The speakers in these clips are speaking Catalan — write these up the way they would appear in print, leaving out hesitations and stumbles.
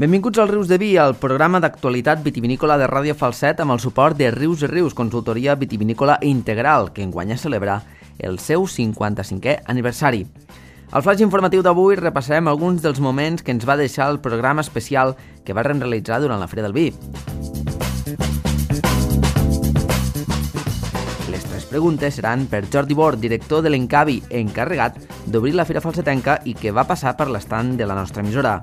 Benvinguts al Rius de Vi, el programa d'actualitat vitivinícola de Ràdio Falset amb el suport de Rius i Rius, consultoria vitivinícola integral, que enguany celebra el seu 55è aniversari. Al flash informatiu d'avui repassarem alguns dels moments que ens va deixar el programa especial que vam realitzar durant la Fira del Vi. Les tres preguntes seran per Jordi Bord, director de l'Encavi, encarregat d'obrir la Fira Falsetenca i que va passar per l'estand de la nostra emissora.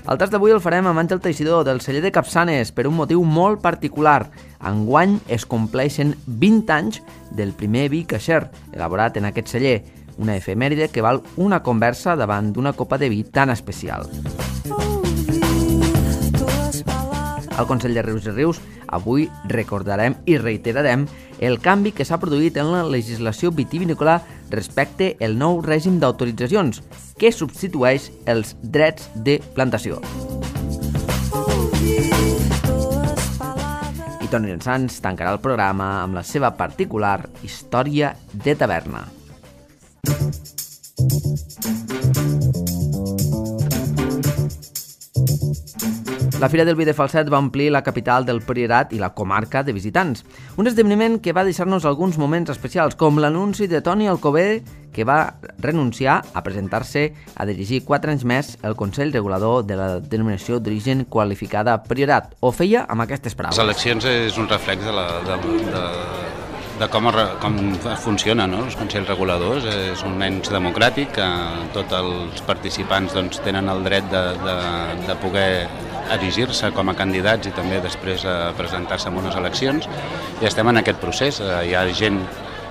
El tast d'avui el farem amb Àngel Teixidor, del celler de Capçanes, per un motiu molt particular. Enguany es compleixen 20 anys del primer vi caixer, elaborat en aquest celler, una efemèride que val una conversa davant d'una copa de vi tan especial. Al Consell de Rius i Rius avui recordarem i reiterarem el canvi que s'ha produït en la legislació vitivinícola respecte al nou règim d'autoritzacions, que substitueix els drets de plantació. I Toni Sans tancarà el programa amb la seva particular història de taverna. La Fira del Vi de Falset va omplir la capital del Priorat i la comarca de visitants. Un esdeveniment que va deixar-nos alguns moments especials, com l'anunci de Toni Alcover, que va renunciar a presentar-se a dirigir 4 anys més el Consell Regulador de la denominació d'origen qualificada Priorat. Ho feia amb aquestes paraules. Les eleccions és un reflex de com funciona, no? Els Consells Reguladors. És un ens democràtic que tots els participants tenen el dret de poder erigir-se com a candidats i també després presentar-se en unes eleccions, i estem en aquest procés. Hi ha gent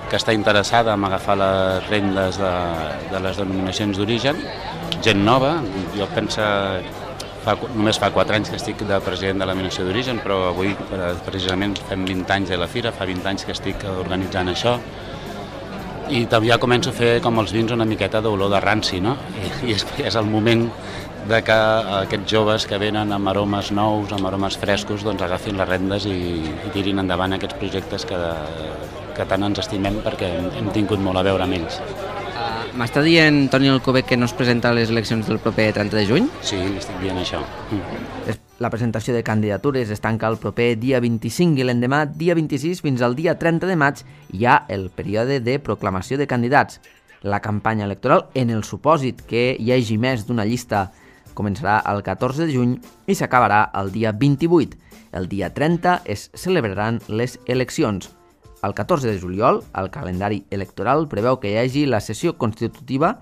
que està interessada en agafar les rendes de les denominacions d'origen, gent nova. Jo penso, només fa 4 anys que estic de president de la denominació d'origen, però avui precisament fem 20 anys de la Fira, fa 20 anys que estic organitzant això, i també ja començo a fer com els vins una miqueta d'olor de ranci, no? I és el moment de que aquests joves que venen amb aromes nous, amb aromes frescos, agafin les rendes i tirin endavant aquests projectes que tant ens estimem, perquè hem tingut molt a veure amb ells. M'està dient Toni Alcover que no es presenta a les eleccions del proper 30 de juny? Sí, li estic dient això. La presentació de candidatures es tanca el proper dia 25 i l'endemà, dia 26, fins al dia 30 de maig, hi ha el període de proclamació de candidats. La campanya electoral, en el supòsit que hi hagi més d'una llista, començarà el 14 de juny i s'acabarà el dia 28. El dia 30 es celebraran les eleccions. El 14 de juliol, el calendari electoral preveu que hi hagi la sessió constitutiva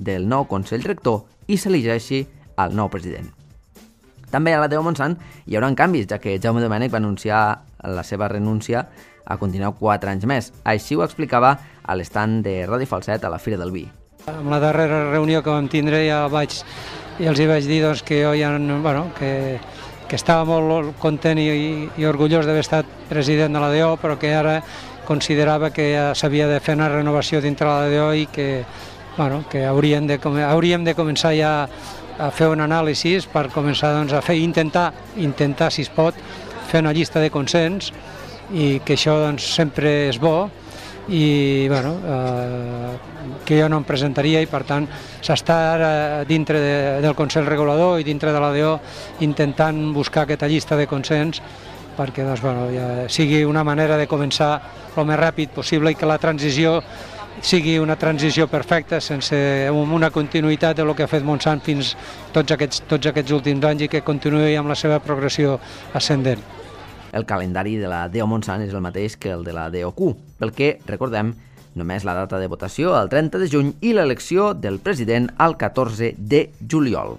del nou Consell Rector i s'elegeixi el nou president. També a la Déu Montsant hi haurà canvis, ja que Jaume Domènech va anunciar la seva renúncia a continuar 4 anys més. Així ho explicava a l'estand de Ràdio Falset a la Fira del Vi. En la darrera reunió que vam tindre ja els vaig dir que jo que estava molt content i orgullós d'haver estat president de la DO, però que ara considerava que ja s'havia de fer una renovació dintre la DO i que hauríem de començar ja a fer un anàlisi per començar a fer, intentar, si es pot, fer una llista de consens, i que això sempre és bo, i que jo no em presentaria, i per tant s'està ara dintre del Consell Regulador i dintre de la DO intentant buscar aquesta llista de consens perquè sigui una manera de començar el més ràpid possible i que la transició sigui una transició perfecta, sense una continuïtat del que ha fet Montsant fins tots aquests últims anys, i que continuï amb la seva progressió ascendent. El calendari de la DO Montsant és el mateix que el de la DOQ, pel que, recordem, només la data de votació el 30 de juny i l'elecció del president el 14 de juliol.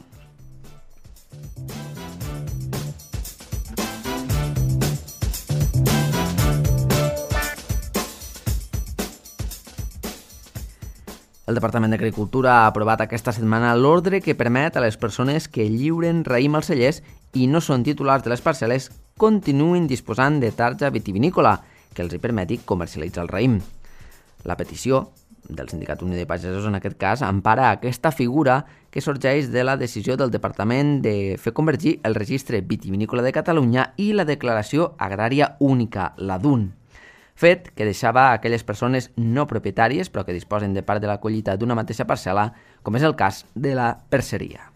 El Departament d'Agricultura ha aprovat aquesta setmana l'ordre que permet a les persones que lliuren raïm als cellers i no són titulars de les parcel·les continuïn disposant de tarja vitivinícola que els hi permeti comercialitzar el raïm. La petició del Sindicat Unió de Pagesos, en aquest cas, empara aquesta figura que sorgeix de la decisió del Departament de fer convergir el Registre Vitivinícola de Catalunya i la Declaració Agrària Única, la DUN. fet que deixava aquelles persones no propietàries però que disposen de part de la collita d'una mateixa parcel·la, com és el cas de la perceria.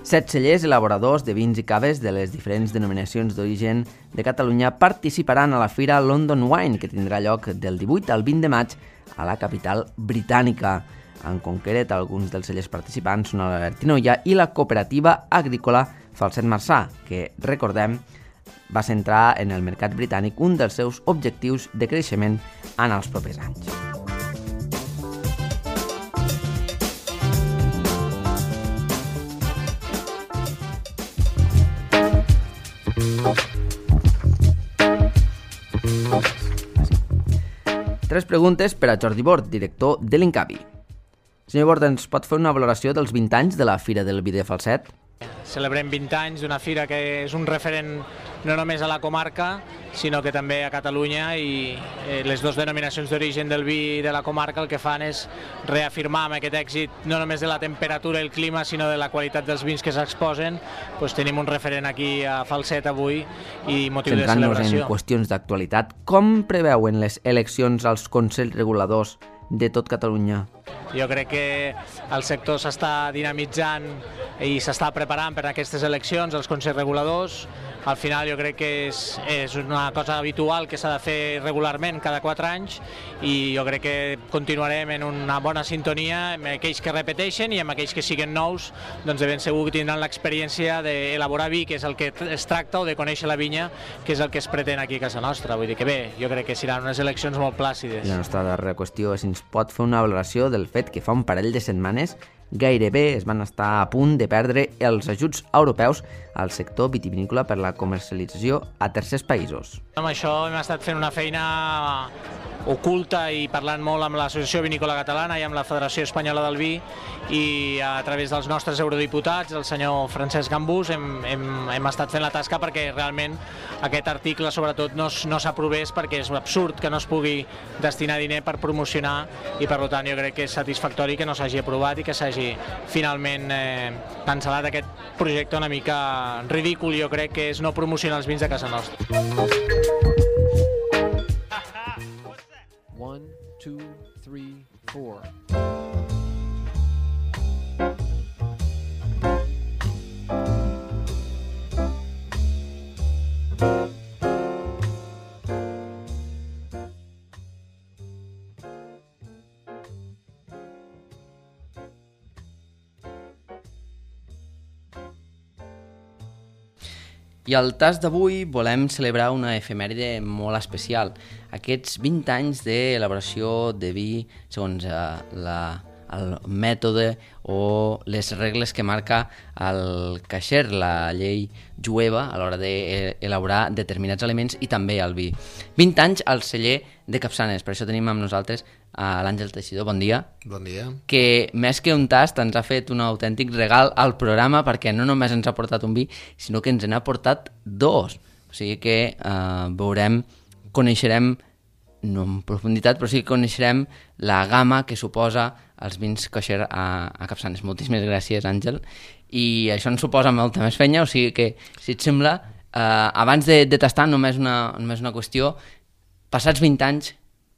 Set cellers elaboradors de vins i caves de les diferents denominacions d'origen de Catalunya participaran a la fira London Wine, que tindrà lloc del 18 al 20 de maig a la capital britànica. En concret, alguns dels cellers participants són l'Albertinoia i la cooperativa agrícola Falset Marçà, que, recordem, va centrar en el mercat britànic un dels seus objectius de creixement en els propers anys. Tres preguntes per a Jordi Bort, director de l'Incavi. Senyor Bort, ens pot fer una valoració dels 20 anys de la Fira del Vi de Falset? Celebrem 20 anys d'una fira que és un referent no només a la comarca, sinó que també a Catalunya, i les dues denominacions d'origen del vi de la comarca el que fan és reafirmar amb aquest èxit no només de la temperatura i el clima, sinó de la qualitat dels vins que s'exposen. Tenim un referent aquí a Falset avui i motiu de celebració. Centrant-nos en qüestions d'actualitat, com preveuen les eleccions als consells reguladors de tot Catalunya? Jo crec que el sector s'està dinamitzant i s'està preparant per a aquestes eleccions, els consells reguladors. Al final jo crec que és una cosa habitual que s'ha de fer regularment cada 4 anys, i jo crec que continuarem en una bona sintonia amb aquells que repeteixen i amb aquells que siguen nous, doncs de ben segur que tindran l'experiència d'elaborar vi, que és el que es tracta, o de conèixer la vinya, que és el que es pretén aquí a casa nostra. Vull dir que bé, jo crec que seran unes eleccions molt plàcides. La nostra darrera qüestió és si ens pot fer una valoració del fet que fa un parell de setmanes gairebé es van estar a punt de perdre els ajuts europeus al sector vitivinícola per la comercialització a tercers països. Amb això hem estat fent una feina oculta i parlant molt amb l'Associació Vinícola Catalana i amb la Federació Espanyola del Vi, i a través dels nostres eurodiputats, el senyor Francesc Gambús, hem estat fent la tasca perquè realment aquest article sobretot no s'aprovés, perquè és absurd que no es pugui destinar diner per promocionar, i per tant jo crec que és satisfactori que no s'hagi aprovat i que s'hagi finalment cancel·lat aquest projecte una mica ridícul, jo crec que és no promocionar els vins de casa nostra. 1, 2, 3, 4. I al tas d'avui volem celebrar una efemèride molt especial. Aquests 20 anys d'elaboració de vi segons el mètode o les regles que marca el caixer, la llei jueva, a l'hora d'elaborar determinats aliments, i també el vi. 20 anys al celler de Capçanes, per això tenim amb nosaltres a l'Àngel Teixidor. Bon dia. Bon dia. Que més que un tast ens ha fet un autèntic regal al programa, perquè no només ens ha portat un vi, sinó que ens n'ha portat 2. O sigui que coneixerem, no en profunditat, però sí que coneixerem la gamma que suposa els vins kosher a Capçanes. Moltíssimes gràcies, Àngel. I això ens suposa molta més feina, o sigui que, si et sembla, abans de tastar, només una qüestió. Passats 20 anys,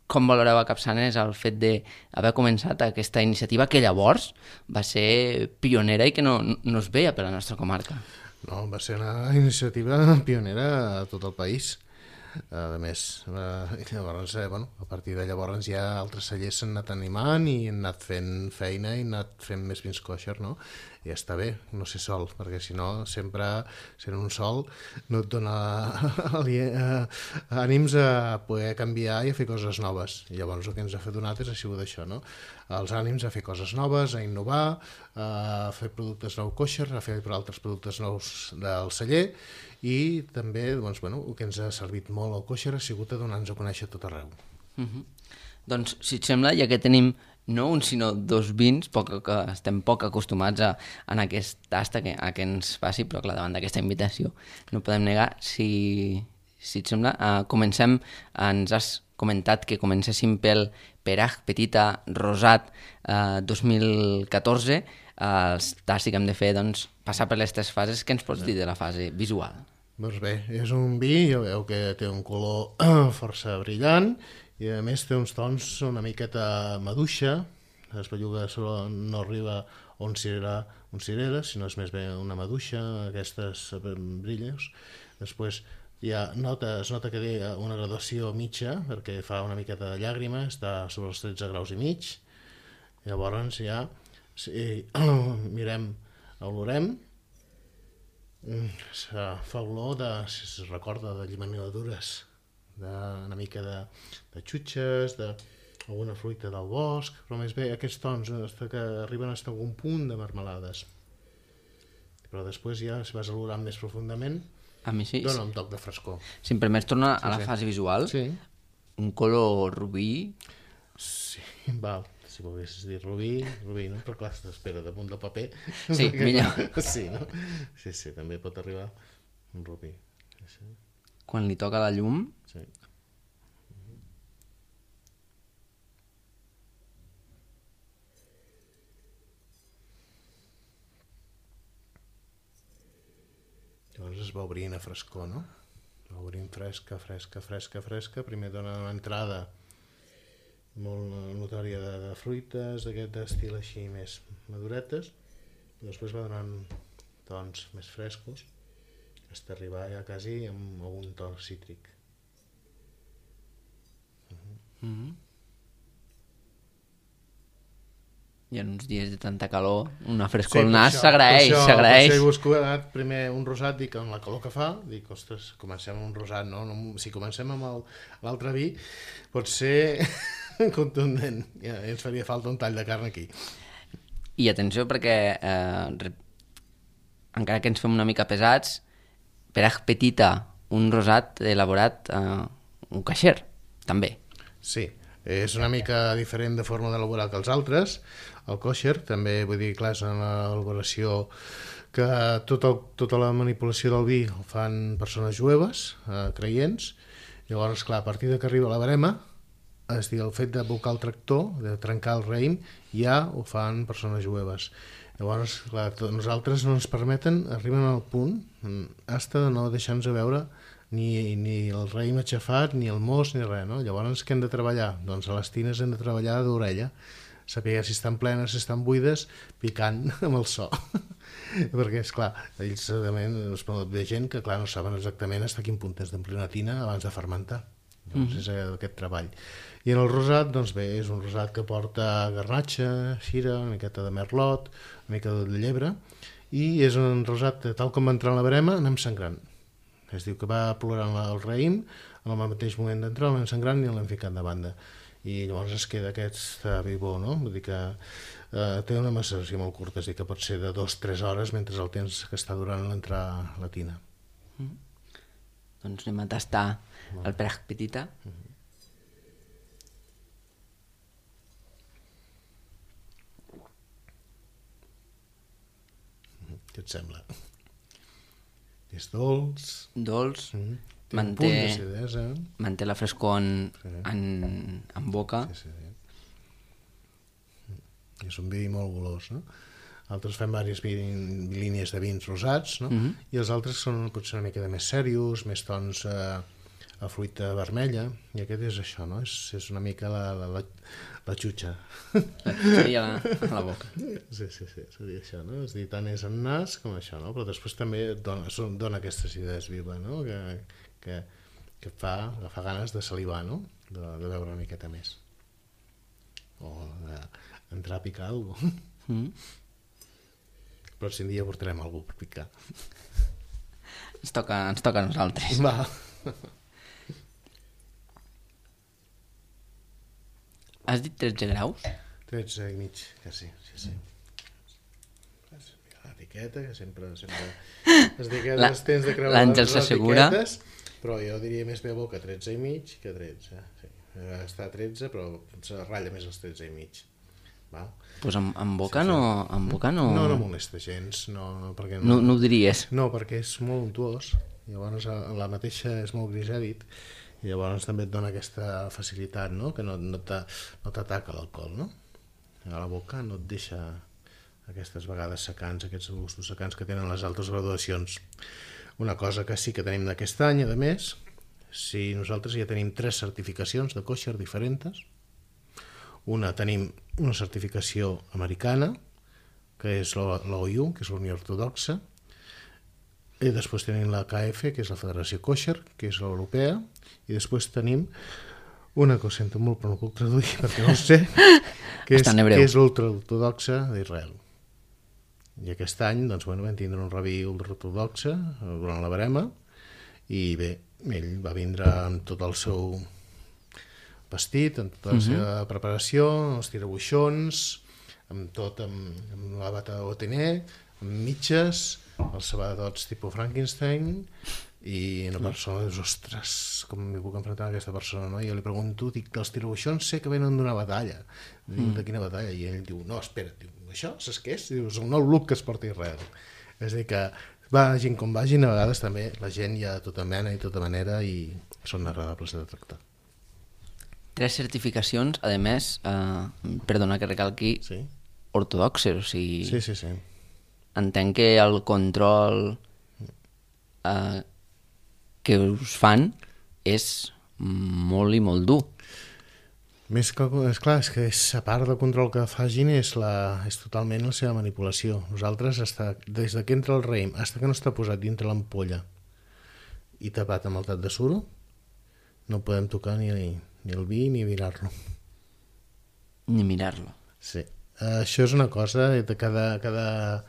com valoreu a Capçanes el fet d'haver començat aquesta iniciativa que llavors va ser pionera i que no es veia per la nostra comarca? No, va ser una iniciativa pionera a tot el país. A més, llavors, a partir de llavors ja altres cellers s'han anat animant i han anat fent feina i han anat fent més vins kosher, no? I està bé, no ser sol, perquè si no, sempre sent un sol no et dona ànims a poder canviar i a fer coses noves. I llavors el que ens ha donat ha sigut això, no? Els ànims a fer coses noves, a innovar, a fer productes nous kosher, a fer altres productes nous del celler, i també doncs, el que ens ha servit molt al kosher ha sigut a donar-nos a conèixer tot arreu. Doncs, si et sembla, ja que tenim no un sinó 2 vins, que estem poc acostumats en aquest tast a que ens faci, però clar, davant d'aquesta invitació no podem negar. Si et sembla, comencem. Ens has comentat que comencéssim pel Perach Petita Rosat 2014. els tastos que hem de fer, doncs, passar per les 3 fases. Què ens pots dir de la fase visual? Doncs bé, és un vi, ja veu que té un color força brillant i a més té uns tons una miqueta maduixa, les bellugues no arriba on cirera, sinó és més bé una maduixa, aquestes brilles. Després es nota que té una graduació mitja, perquè fa una miqueta de llàgrima, està sobre els 13 graus i mig. Llavors ja, si olorem, fa olor si es recorda de llimonadures, una mica de xutxes, d'alguna fruita del bosc, però més bé aquests tons que arriben a algun punt de marmelades. Però després ja, si vas olorant més profundament, A mi sí. dona un toc de frescor. Si em permets tornar a la fase visual, un color rubí... Sí, val. Si volguessis dir rubí, no? Però clar, t'espera damunt del paper. Sí, millor. Sí, no? Sí, també pot arribar un rubí. Sí. Quan li toca la llum... Sí. Llavors es va obrint a frescor, no? Va obrint fresca. Primer dona una entrada molt notòria de fruites, d'aquest estil així més maduretes, i després va donant tons més frescos, fins a arribar ja quasi amb algun to cítric. I en uns dies de tanta calor, una frescor al nas s'agraeix. Per això he buscat primer un rosat, dic, amb la calor que fa, dic, ostres, comencem amb un rosat, no? Si comencem amb l'altre vi, pot ser contundent, ja ens faria falta un tall de carn aquí. I atenció perquè, encara que ens fem una mica pesats, Perach Petita, un rosat elaborat un caixer, també. Sí, és una mica diferent de forma d'elaborar que els altres. El kosher també, vull dir, clar, és una elaboració que tota la manipulació del vi ho fan persones jueves, creients. Llavors, clar, a partir de que arriba la barema, és dir, el fet d'abocar el tractor, de trencar el raïm, ja ho fan persones jueves. Llavors, clar, nosaltres no ens permeten, arriben al punt, hasta de no deixar-nos veure ni el raïm aixafat, ni el mos, ni res, no? Llavors, què hem de treballar? Doncs a les tines hem de treballar d'orella, saber si estan plenes, si estan buides, picant amb el so. Perquè, esclar, ells ve gent que, clar, no saben exactament fins a quin punt has d'omplir una tina abans de fermentar. Llavors és aquest treball. I en el rosat, doncs bé, és un rosat que porta garnatxa, xira, una miqueta de merlot, una mica de llebre, i és un rosat, tal com va entrar en la barema, anem sangrant. Es diu que va plorant el raïm, en el mateix moment d'entrar l'anem sangrant i l'hem ficat de banda. I llavors es queda aquest vi bo, no? Vull dir que té una maceració molt curta, és dir, que pot ser de 2-3 hores mentre el temps que està durant l'entrar a la tina. Doncs anem a tastar el Perach Petita. Què et sembla? És dolç. Dolç. Té un punt d'acidesa. Manté la frescor en boca. Sí. És un vi molt golós, no? Altres fem diverses línies de vins rosats, no? I els altres són potser una mica de més serios, més tons a fruita vermella, i aquest és això, no? És una mica la xutxa. La xutxa a la boca. Sí, seria això, no? És dir, tant és en nas com això, no? Però després també dona aquesta acidesa viva, no? Que fa ganes de salivar, no? De beure una miqueta més. O d'entrar a picar alguna cosa. Però si un dia portarem algú per picar. Ens toca a nosaltres. Va. Has dit 13 graus? 13 i mig, que sí. L'etiqueta, que sempre les etiquetes tens de creuar l'Àngel s'assegura. Però jo diria més bé a boca 13 i mig que 13. Sí. Està a 13, però se ratlla més els 13 i mig. Pues en boca no... No molesta gens, perquè no ho diries. No, perquè és molt untuós, llavors la mateixa és molt grisèdit, i llavors també et dona aquesta facilitat, no? Que no t'ataca l'alcohol, no? A la boca no et deixa aquestes vegades secants, aquests gustos secants que tenen les altres graduacions. Una cosa que sí que tenim d'aquest any, a més, si nosaltres ja tenim 3 certificacions de kosher diferents. Una, tenim una certificació americana, que és l'OU, que és la Unió Ortodoxa, i després tenim la KF, que és la Federació Kosher, que és l'europea, i després tenim una que ho sento molt però no puc traduir perquè no ho sé, que és l'ultraortodoxa d'Israel. I aquest any doncs, vam tindre un rabí ultraortodoxe durant la barema i bé, ell va vindre amb tot el seu vestit, amb tota la seva preparació, els tirabuixons, amb tot, amb la bata OTN, amb mitges, els sabadots tipus Frankenstein, i una persona dius, ostres, com m'hi puc enfrontar a aquesta persona, no? I jo li pregunto, dic, els tirabuixons sé que venen d'una batalla. Dic, de quina batalla? I ell diu, no, espera, diu, això saps què és? Diu, és el nou look que es porta a Israel. És a dir que vagin com vagin, a vegades també la gent hi ha tota mena i tota manera i són agradables de tractar. 3 certificacions, a més, perdona que recalqui, Sí? ortodoxes, o sigui... Sí. Entenc que el control que us fan és molt i molt dur. Més que, és clar, és que a part del control que facin és totalment la seva manipulació. Nosaltres, des que entra el raïm fins que no està posat dintre l'ampolla i tapat amb el tat de suro, no podem tocar ni el vi ni mirar-lo. Ni mirar-lo. Sí. Això és una cosa de cada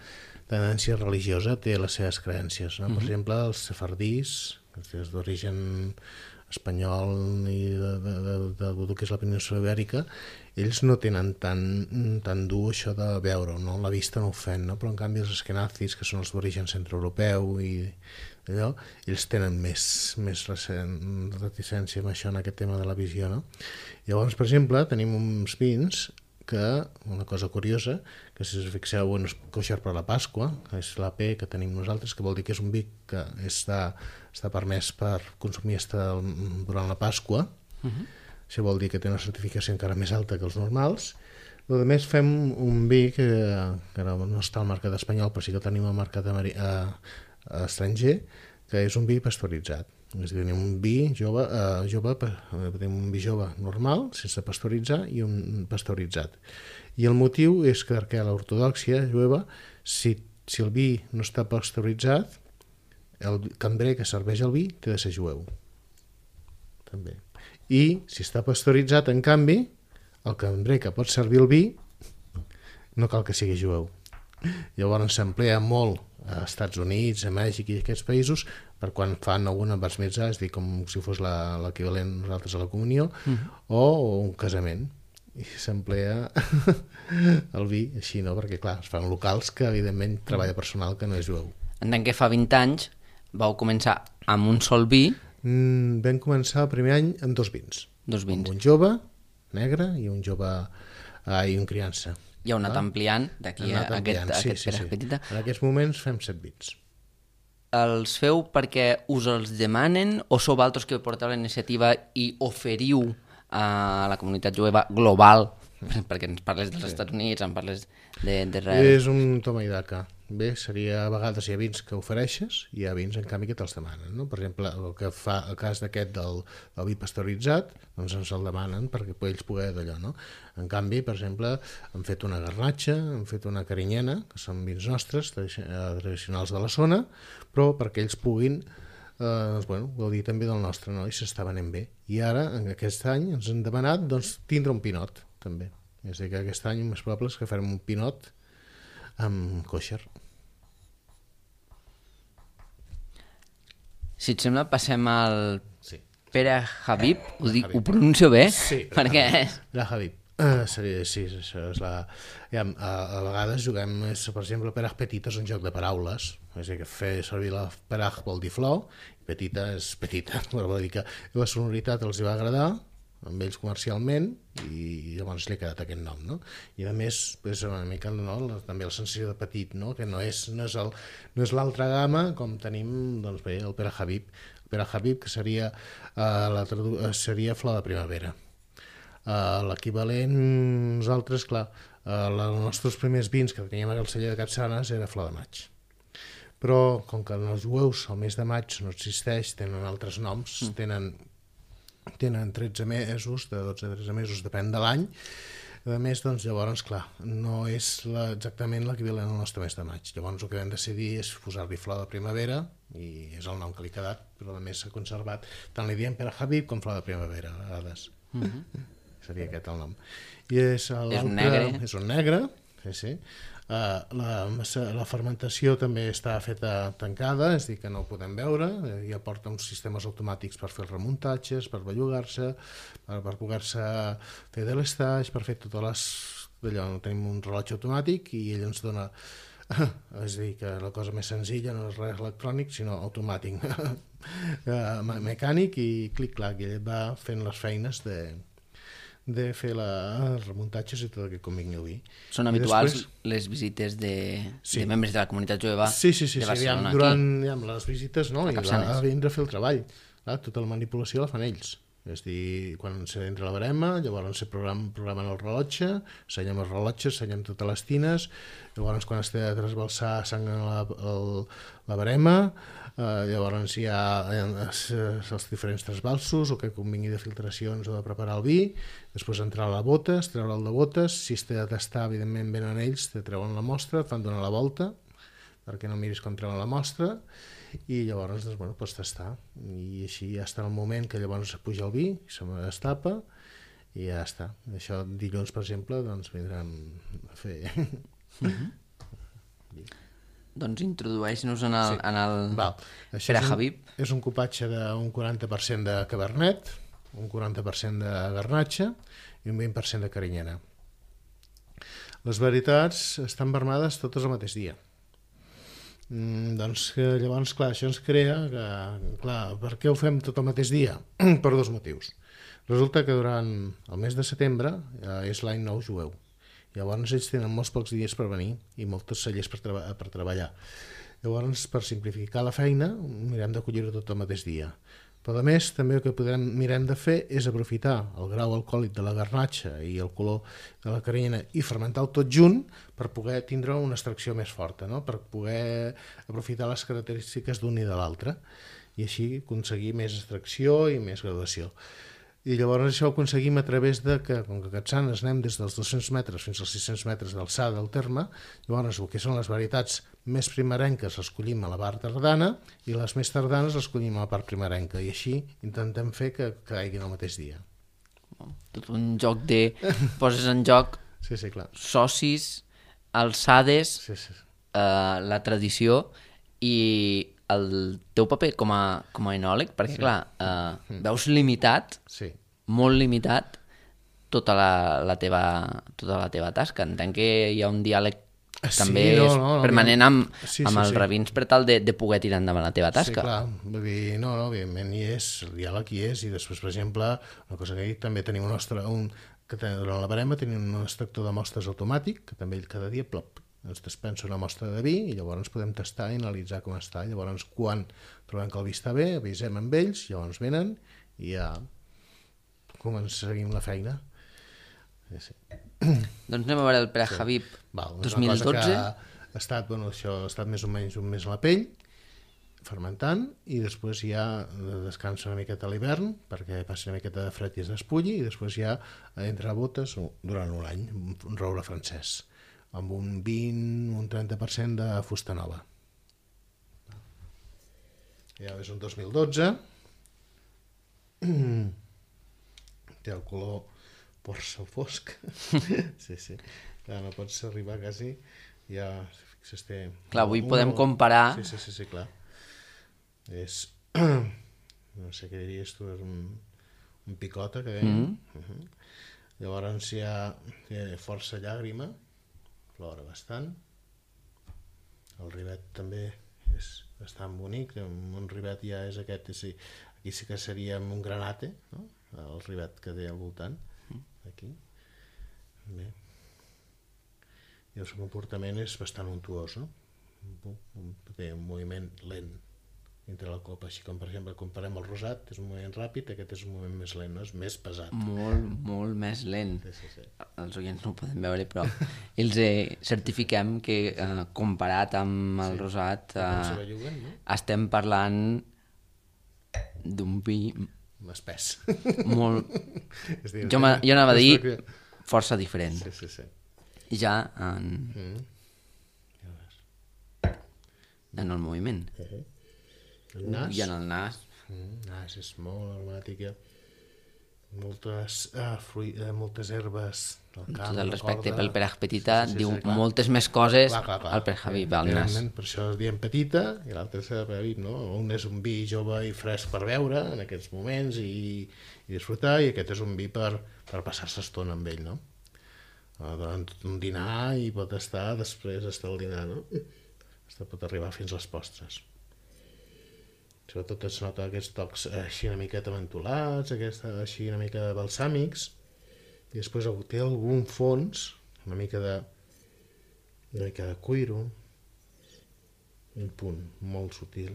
tendència religiosa té les seves creences, no? Per exemple, els sefardís, que és d'origen espanyol i de que és la península ibèrica, ells no tenen tan dur això de veure, no? La vista no ofèn, no? Però en canvi els esquenazis, que són els d'origen centroeuropeu i allò, ells tenen més reticència amb això, en aquest tema de la visió, no? Llavors, per exemple, tenim uns vins que, una cosa curiosa, que si us fixeu, és kosher per la Pasqua, que és l'AP que tenim nosaltres, que vol dir que és un vi que està permès per consumir durant la Pasqua. Això vol dir que té una certificació encara més alta que els normals. A més, fem un vi que no està al mercat espanyol, però sí que tenim al mercat estranger, que és un vi pasteuritzat. És a dir, tenim un vi jove, tenim un vi jove normal, sense pasteuritzar, i un pasteuritzat. I el motiu és que l'ortodòxia jueva, si el vi no està pasteuritzat, el cambrer que serveix el vi té de ser jueu. També. I si està pasteuritzat, en canvi, el cambrer que pot servir el vi no cal que sigui jueu. Llavors s'emplea molt a Estats Units, a Mèxic i aquests països per quan fan alguna bar mitzvah, és dir, com si fos l'equivalent nosaltres a la comunió, o un casament. I s'emplea el vi així, no? Perquè clar, es fan locals que evidentment treballa personal que no és jueu. Entenc que fa 20 anys vau començar amb un sol vi. Vam començar el primer any amb 2 vins. 2 vins. Amb un jove, negre, i un jove i un criança. I heu anat ampliant d'aquí a aquest Pere Petita. En aquests moments fem 7 vins. Els feu perquè us els demanen o sou vosaltres que porteu la iniciativa i oferiu a la comunitat jueva global, perquè ens parles dels Estats Units, em parles d'Israel? És un toma i daca. Bé, seria a vegades hi ha vins que ofereixes i hi ha vins en canvi que te'ls demanen, no? Per exemple, el que fa el cas d'aquest del vi pasteuritzat, doncs ens el demanen perquè ells poder d'allò, no? En canvi, per exemple, han fet una garnatxa, han fet una carinyena, que són vins nostres, tradicionals de la zona, però perquè ells puguin gaudir també del nostre, no? I s'està venent bé. I ara, en aquest any, ens han demanat tindre un pinot, també. És a dir, que aquest any més probable és que farem un pinot amb kosher. Si et sembla, passem al Sí. Pere Habib, ho pronuncio bé? Sí, perquè... Pere Habib. Sí, això és la... A vegades juguem, per exemple, Perach Petita és un joc de paraules, és a dir, que fer servir la Perach vol dir flor, i Petita és petita, vol dir que la sonoritat els va agradar, amb ells comercialment, i llavors li ha quedat aquest nom, no? I a més és una mica també la sensació de petit, no? Que no és l'altra gamma com tenim el Pere Habib, que seria flor de primavera. L'equivalent, nosaltres, clar, els nostres primers vins que teníem al celler de Capçanes era flor de maig. Però, com que els jueus el mes de maig no existeix, tenen altres noms, tenen 13 mesos, de 12 a 13 mesos, depèn de l'any. A més, doncs, llavors, clar, no és exactament l'equivalent al nostre mes de maig. Llavors, el que vam decidir és posar-li flor de primavera, i és el nom que li ha quedat, però a més s'ha conservat. Tant li diem Pere Habib com flor de primavera, a vegades. Seria aquest el nom. I és un negre. És un negre, sí. La fermentació també està feta tancada, és a dir, que no ho podem veure, ja porta uns sistemes automàtics per fer els remuntatges, per bellugar-se, per poder-se fer de l'estatge, per fer totes les... D'allò, tenim un rellotge automàtic i ell ens dona... És a dir, que la cosa més senzilla no és res electrònic, sinó automàtic, mecànic, i clic-clac, i ell va fent les feines de fer els remuntatges i tot el que convingui al vi. Són habituals les visites de membres de la comunitat jueva de Barcelona durant les visites, no? I va vindre a fer el treball. Tota la manipulació la fan ells. És a dir, quan s'entra la barema, llavors se programen el rellotge, senyem els rellotges, senyem totes les tines, llavors quan es té de trasbalsar sangren la barema, llavors hi ha els diferents trasbalsos, el que convingui de filtracions o de preparar el vi, després entrar a la botes, treure el de botes, si es té de tastar, evidentment venen ells, te treuen la mostra, et fan donar la volta, perquè no miris com treuen la mostra, i llavors doncs, bueno, pots tastar, i així ja està el moment que llavors puja el vi, se m'estapa i ja està. Això dilluns, per exemple, doncs vindran a fer... Doncs introdueix-nos en el Pere Habib. És un cupatge d'un 40% de Cabernet, un 40% de Garnatxa i un 20% de Carinyena. Les varietats estan vermades totes el mateix dia. Doncs llavors, clar, això ens crea que, clar, per què ho fem tot el mateix dia? Per dos motius. Resulta que durant el mes de setembre és l'any nou jueu. Llavors ells tenen molts pocs dies per venir i moltes cellers per treballar. Llavors, per simplificar la feina, mirem d'acollir-ho tot el mateix dia. Però a més, també el que mirem de fer és aprofitar el grau alcohòlic de la garnatxa i el color de la carinyena i fermentar-ho tot junt per poder tindre una extracció més forta, no? Per poder aprofitar les característiques d'un i de l'altre i així aconseguir més extracció i més graduació. I llavors això ho aconseguim a través de que, com que a Capçanes anem des dels 200 metres fins als 600 metres d'alçada del terme, llavors el que són les varietats més primerenques les collim a la part tardana i les més tardanes les collim a la part primerenca i així intentem fer que caiguin el mateix dia. Tot un joc de... poses en joc clar. Socis, alçades, la tradició i el teu paper com a enòleg, perquè clar, veus limitat, molt limitat, tota la teva tasca. Entenc que hi ha un diàleg també permanent amb els rabins per tal de poder tirar endavant la teva tasca. Sí, clar, vull dir, evidentment hi és, el diàleg hi és, i després, per exemple, una cosa que també tenim que durant la barema tenim un extractor de mostres automàtic, que també cada dia ens dispensa una mostra de vi i llavors podem tastar i analitzar com està. Llavors, quan trobem que el vi està bé, avisem amb ells, llavors venen i ja seguim la feina. Doncs anem a veure el Pere Habib 2012. Això ha estat més o menys un mes a la pell, fermentant, i després ja descansa una miqueta a l'hivern perquè passi una miqueta de fred i es despulli, i després ja entra a botes durant un any, un roure francès, amb un 20, un 30% de fusta nova. Ja és un 2012. Té el color porça fosc. Sí. Clar, no pots arribar quasi... Ja, fixes, té... Clar, avui podem comparar... Sí, clar. És... No sé què diries tu, és un picota que deia. Llavors hi ha força llàgrima, plora bastant. El rivet també és bastant bonic, un rivet ja és aquest, aquí sí que seria un granate, no? El rivet que té al voltant, aquí. Bé. I el seu comportament és bastant untuós, no? Té un moviment lent entre la copa, així com per exemple comparem el rosat, és un moment ràpid, aquest és un moment més lent, no? És més pesat. Molt més lent. Sí. Els oients no ho poden veure, però els certifiquem que comparat amb el rosat estem parlant d'un vi espès. Molt... jo anava a dir força diferent. Sí. Ja en el moviment. El nas? I en el nas. Nas és molt aromàtic, moltes herbes del camp. Tot el respecte pel Peraj Petita diu moltes més coses al Peraj Habib, al nas. Per això es diem petita i l'altre és Peraj Habib, no? Un és un vi jove i fresc per beure en aquests moments i disfrutar, i aquest és un vi per passar-se estona amb ell, no? Durant un dinar i pot estar després el dinar, no? Pot arribar fins les postres. Sobretot es nota aquests tocs així una miqueta mentolats, així una mica balsàmics, i després té algun fons, una mica de cuiro, un punt molt sutil.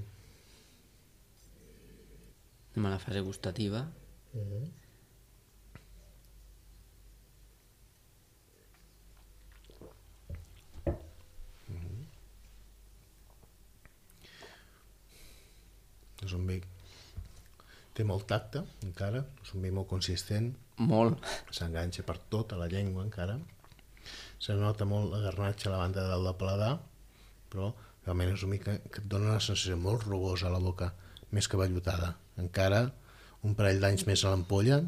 Anem a la fase gustativa. És un vi té molt tacte encara, és un vi molt consistent, molt, s'enganxa per tota la llengua encara, se nota molt la garnatxa a la banda del paladar, però realment és un vi que et dona una sensació molt rugosa a la boca, més que vellutada. Encara un parell d'anys més a l'ampolla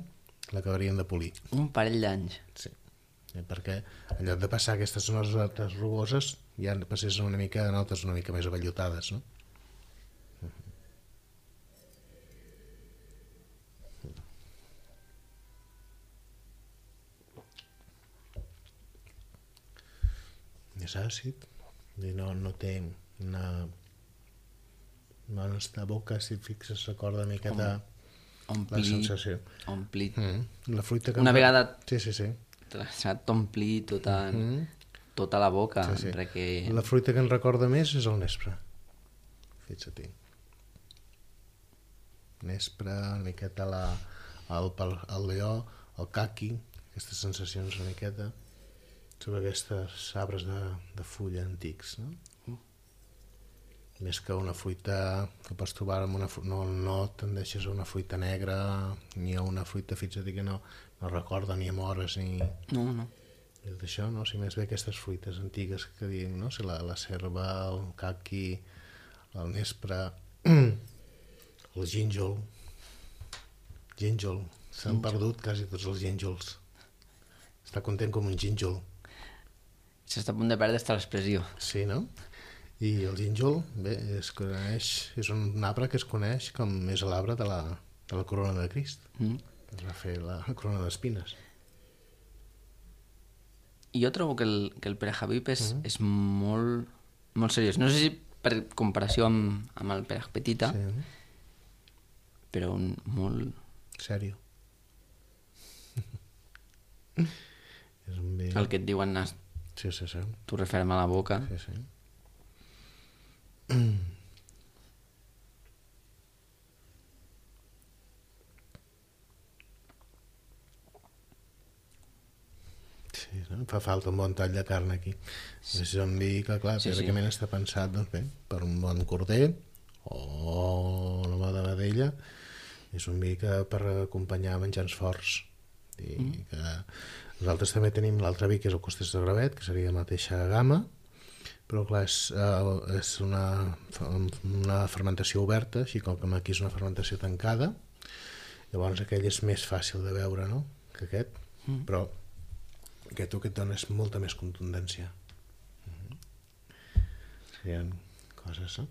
l'acabarien de polir. Un parell d'anys? Sí, perquè en lloc de passar aquestes notes rugoses ja passés una mica de notes una mica més avellutades, no? És àcid i no té una nostra boca, si et fixes, recorda una miqueta la sensació. Omplit. La fruita que una vegada sí. s'ha d'omplir tota la boca. Sí. Perquè... La fruita que ens recorda més és el nespre. Fixa-t'hi. Nespre, una miqueta el lleó, el caqui, aquestes sensacions una miqueta sobre aquests arbres de fulla antics, no? Més que una fruita que pots trobar amb no tendeixes a una fruita negra ni a una fruita, fixa't que no recorda ni amores ni... No. D'això, no? Si més bé aquestes fruites antigues que diem, no? Si la serva, el caqui, el nespre, el gínjol. S'han perdut quasi tots els gínjols. Està content com un gínjol. S'està a punt de perdre aquesta l'expressió. Sí, no? I el gínjol, bé, és un arbre que es coneix com és l'arbre de la corona de Crist. Es va fer la corona d'espines. I jo trobo que el Peraj Habib és molt, molt seriós. No sé si per comparació amb el Peraj Petita, però molt... Sèrio. És un bé... El que et diuen nas... Sí. T'ho referma a la boca. Sí. Sí, no? Fa falta un bon tall de carn aquí. És un vi que, clar, teòricament està pensat, doncs bé, per un bon corder o una bona vedella. És un vi que per acompanyar menjars forts. I que nosaltres també tenim l'altre vi, que és el Costers de Gravet, que seria la mateixa gamma, però clar, és una fermentació oberta, així com aquí és una fermentació tancada, llavors aquell és més fàcil de beure, no?, que aquest, però aquest que et dona és molta més contundència. Serien coses, no?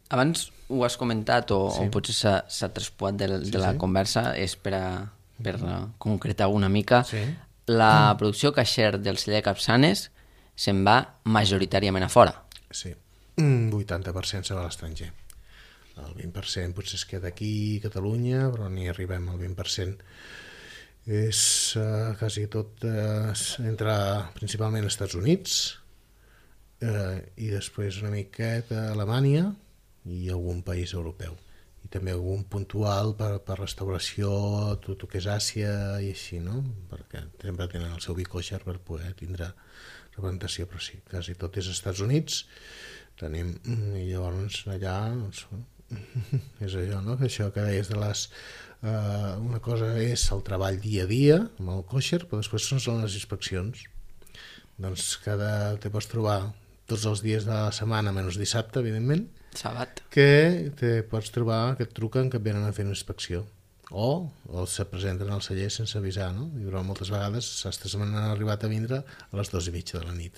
Abans ho has comentat o potser s'ha traspuat de la conversa, és per concretar una mica. La producció caixer del celler Capçanes se'n va majoritàriament a fora. Sí, 80% se va a l'estranger. El 20% potser es queda aquí a Catalunya, però ni arribem al 20%. És quasi tot entre principalment als Estats Units i després una miqueta a Alemanya i algun país europeu. I també algun puntual per restauració, tot el que és Àsia i així, no? Perquè sempre tenen el seu vi kosher per poder tindre representació, però sí, quasi tot és Estats Units, tenim, i llavors allà doncs, és allò, no? Que això que deies de les... una cosa és el treball dia a dia amb el kosher, però després són les inspeccions. Doncs te pots trobar tots els dies de la setmana, menys dissabte, evidentment, Sabat. que te pots trobar que et truquen que et venen a fer una inspecció o se presenten al celler sense avisar, no? I però moltes vegades sastres m'han arribat a vindre a les 2:30 de la nit.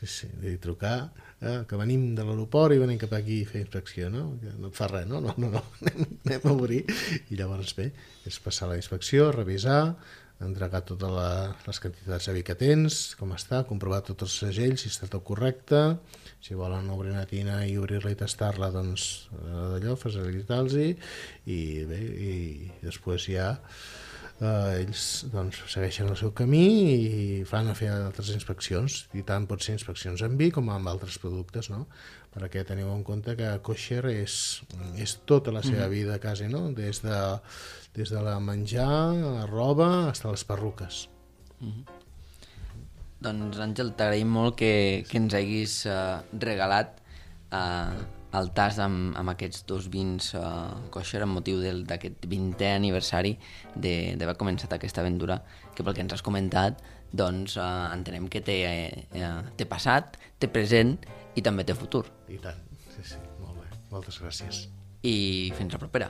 Sí, de trucar que venim de l'aeroport i venim cap aquí a fer inspecció, no? No et fa res, no? No, anem a obrir. I llavors bé, és passar la inspecció, revisar, entregar totes les quantitats de vi que tens, com està, comprovar tots els segells, si està tot correcte, si volen obrir una tina i obrir-la i tastar-la, doncs d'allò, facilitar-los i bé, i després ja ells doncs, segueixen el seu camí i fan a fer altres inspeccions, i tant pot ser inspeccions en vi com amb altres productes, no? Perquè teniu en compte que kosher és tota la seva vida quasi, no? Des de la menjar, la roba, fins a les perruques. Doncs Àngel, t'agraïm molt que ens haguis regalat el tas amb aquests dos vins kosher amb motiu d'aquest 20è aniversari d'haver començat aquesta aventura, que pel que ens has comentat doncs entenem que té passat, té present i també té futur. I tant, sí, molt bé, moltes gràcies. I fins la propera.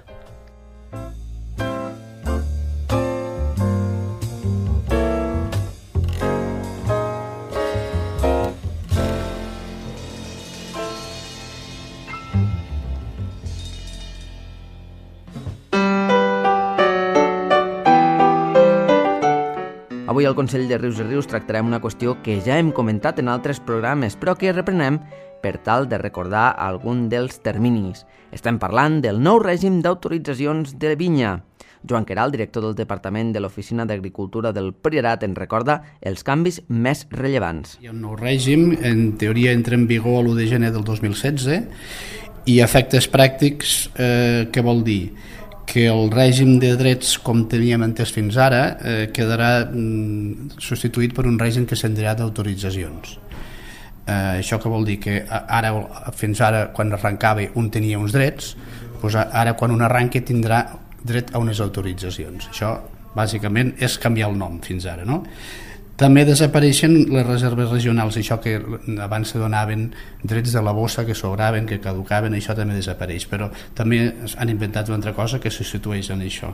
Avui al Consell de Rius i Rius tractarem una qüestió que ja hem comentat en altres programes, però que reprenem per tal de recordar algun dels terminis. Estem parlant del nou règim d'autoritzacions de vinya. Joan Queralt, director del Departament de l'Oficina d'Agricultura del Priorat, ens recorda els canvis més rellevants. Hi ha un nou règim, en teoria entra en vigor l'1 de gener del 2016, i efectes pràctics, què vol dir? Que el règim de drets com teníem entès fins ara quedarà substituït per un règim que s'endrà d'autoritzacions. Això què vol dir? Que fins ara quan arrencava un tenia uns drets, doncs ara quan un arranca tindrà dret a unes autoritzacions. Això bàsicament és canviar el nom fins ara, no? També desapareixen les reserves regionals, això que abans se donaven drets de la bossa que sobraven, que caducaven, això també desapareix, però també han inventat una altra cosa que se situeix en això.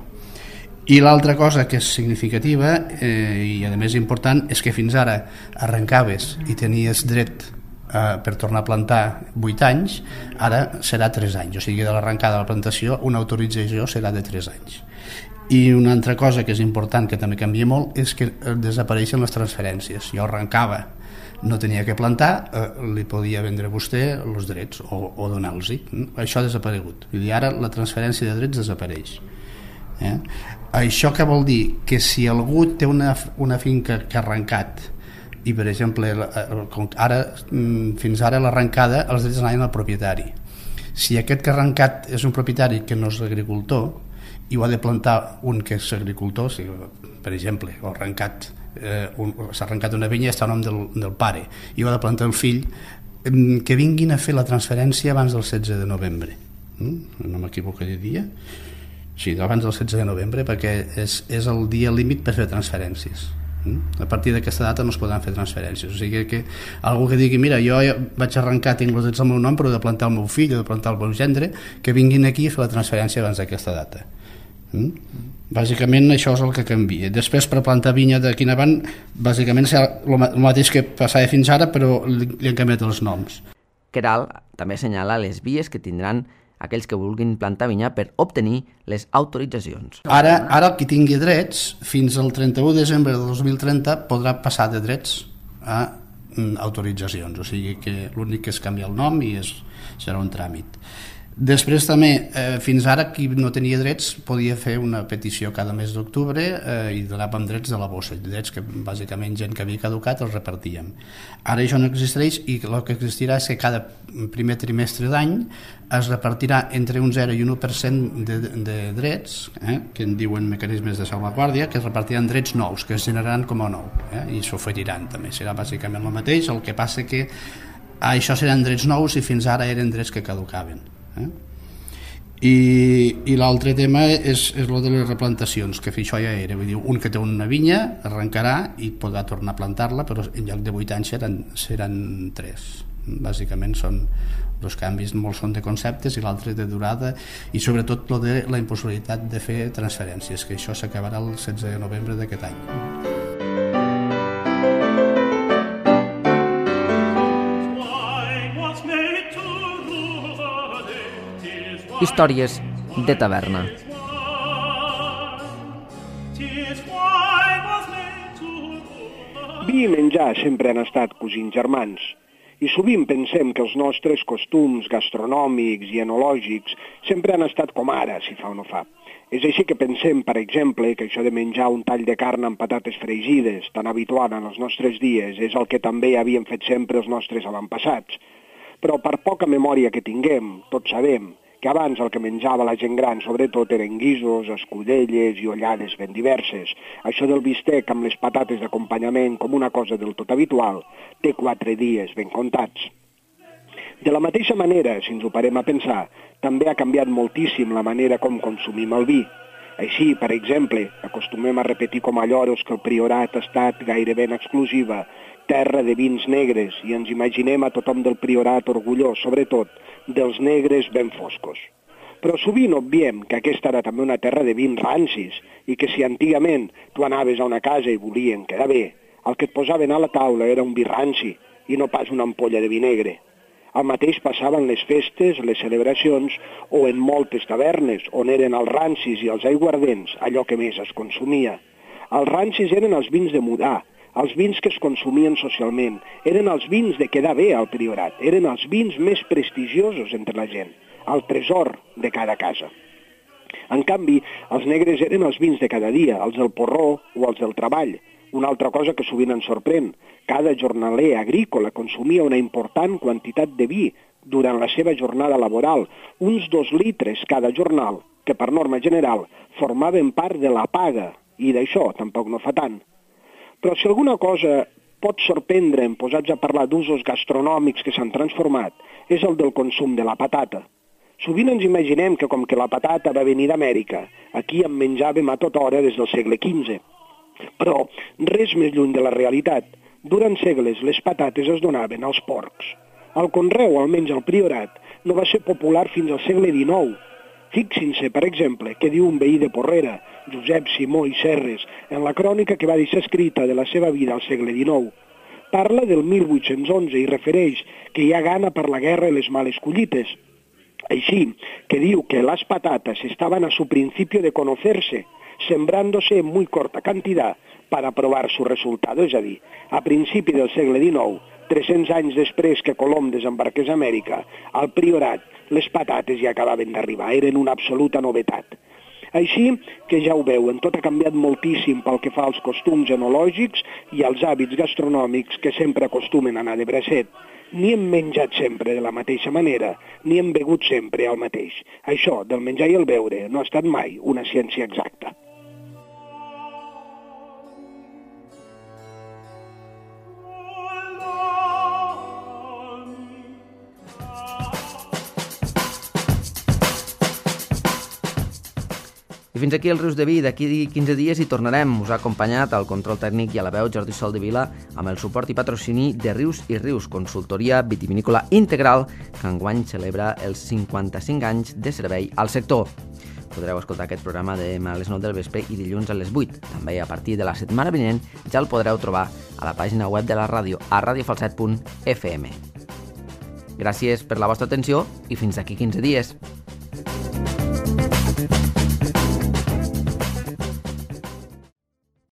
I l'altra cosa que és significativa i a més important és que fins ara arrencaves i tenies dret per tornar a plantar 8 anys, ara serà 3 anys, o sigui de l'arrencada de la plantació una autorització serà de 3 anys. I una altra cosa que és important, que també canvia molt, és que desapareixen les transferències. Jo arrencava, no tenia que plantar, li podia vendre a vostè els drets o donar-los-hi. Això ha desaparegut. Vull dir, ara la transferència de drets desapareix. Això què vol dir? Que si algú té una finca que ha arrencat i, per exemple, ara fins ara l'arrencada els drets anaven al propietari. Si aquest que ha arrencat és un propietari que no és agricultor i ho ha de plantar un que és agricultor, per exemple, s'ha arrencat una vinya i està a nom del pare i ho ha de plantar el fill, que vinguin a fer la transferència abans del 16 de novembre. No m'equivoco de dia? Sí, abans del 16 de novembre, perquè és el dia límit per fer transferències. A partir d'aquesta data no es podran fer transferències. O sigui que algú que digui, mira, jo vaig arrencar, tinc els drets al meu nom, però he de plantar el meu fill o de plantar el meu gendre, que vinguin aquí a fer la transferència abans d'aquesta data. Bàsicament això és el que canvia. Després, per plantar vinya d'aquí en avant, bàsicament serà el mateix que passava fins ara, però li han canviat els noms. Queralt també assenyala les vies que tindran aquells que vulguin plantar vinya per obtenir les autoritzacions. Ara el qui tingui drets, fins al 31 de desembre de 2030 podrà passar de drets a autoritzacions, o sigui que l'únic que és canviar el nom i serà un tràmit. Després també, fins ara, qui no tenia drets podia fer una petició cada mes d'octubre i donàvem drets de la bossa, drets que bàsicament gent que havia caducat els repartíem. Ara això no existeix i el que existirà és que cada primer trimestre d'any es repartirà entre un 0 i un 1% de drets, que en diuen mecanismes de salvaguàrdia, que es repartiran drets nous, que es generaran com a nou, i s'oferiran també. Serà bàsicament el mateix, el que passa que això seran drets nous i fins ara eren drets que caducaven. I l'altre tema és el de les replantacions, que això ja era, vull dir, un que té una vinya arrencarà i podrà tornar a plantar-la, però en lloc de 8 anys seran 3. Bàsicament són els canvis, molts són de conceptes i l'altre de durada, i sobretot lo de la impossibilitat de fer transferències, que això s'acabarà el 16 de novembre d'aquest any. Històries de taverna. Vi i menjar sempre han estat cosins germans, i sovint pensem que els nostres costums gastronòmics i enològics sempre han estat com ara, si fa o no fa. És així que pensem, per exemple, que això de menjar un tall de carn amb patates fregides, tan habitual en els nostres dies, és el que també havien fet sempre els nostres avantpassats. Però per poca memòria que tinguem, tots sabem que abans el que menjava la gent gran sobretot eren guisos, escudelles i ollades ben diverses. Això del bistec amb les patates d'acompanyament com una cosa del tot habitual té 4 dies ben comptats. De la mateixa manera, si ens ho parem a pensar, també ha canviat moltíssim la manera com consumim el vi. Així, per exemple, acostumem a repetir com a lloros que el Priorat ha estat gairebé en exclusiva terra de vins negres i ens imaginem a tothom del Priorat orgullós, sobretot, dels negres ben foscos. Però sovint obviem que aquesta era també una terra de vins rancis i que si antigament tu anaves a una casa i volien quedar bé, el que et posaven a la taula era un vi ranci i no pas una ampolla de vi negre. El mateix passava en les festes, les celebracions o en moltes tavernes on eren els rancis i els aiguardents allò que més es consumia. Els rancis eren els vins de mudar, els vins que es consumien socialment, eren els vins de quedar bé al Priorat, eren els vins més prestigiosos entre la gent, el tresor de cada casa. En canvi, els negres eren els vins de cada dia, els del porró o els del treball. Una altra cosa que sovint ens sorprèn, cada jornaler agrícola consumia una important quantitat de vi durant la seva jornada laboral, uns 2 litres cada jornal, que per norma general formaven part de la paga, i d'això tampoc no fa tant. Però si alguna cosa pot sorprendre'm posats a parlar d'usos gastronòmics que s'han transformat, és el del consum de la patata. Sovint ens imaginem que com que la patata va venir d'Amèrica, aquí en menjàvem a tota hora des del segle XV. Però res més lluny de la realitat. Durant segles les patates es donaven als porcs. El conreu, almenys al Priorat, no va ser popular fins al segle XIX. Fixin-se, per exemple, què diu un veí de Porrera, Josep Simó i Serres, en la crònica que va deixar escrita de la seva vida al segle XIX. Parla del 1811 i refereix que hi ha gana per la guerra i les males collites. Així que diu que las patatas estaban a su principio de conocerse, sembrándose en muy corta cantidad para probar su resultado, és a dir, a principi del segle XIX, 300 anys després que Colom desembarqués a Amèrica, al Priorat les patates ja acabaven d'arribar, eren una absoluta novetat. Així que ja ho veuen, tot ha canviat moltíssim pel que fa als costums enològics i als hàbits gastronòmics que sempre acostumen a anar de bracet. Ni hem menjat sempre de la mateixa manera, ni hem begut sempre el mateix. Això del menjar i el beure no ha estat mai una ciència exacta. I fins aquí el Rius de Vi. D'aquí 15 dies hi tornarem. Us ha acompanyat al control tècnic i a la veu Jordi Sol de Vila amb el suport i patrocini de Rius i Rius, consultoria vitivinícola integral que enguany celebra els 55 anys de servei al sector. Podreu escoltar aquest programa demà a les 9 del vespre i dilluns a les 8. També a partir de la setmana vinent ja el podreu trobar a la pàgina web de la ràdio a radiofalset.fm. Gràcies per la vostra atenció i fins d'aquí 15 dies.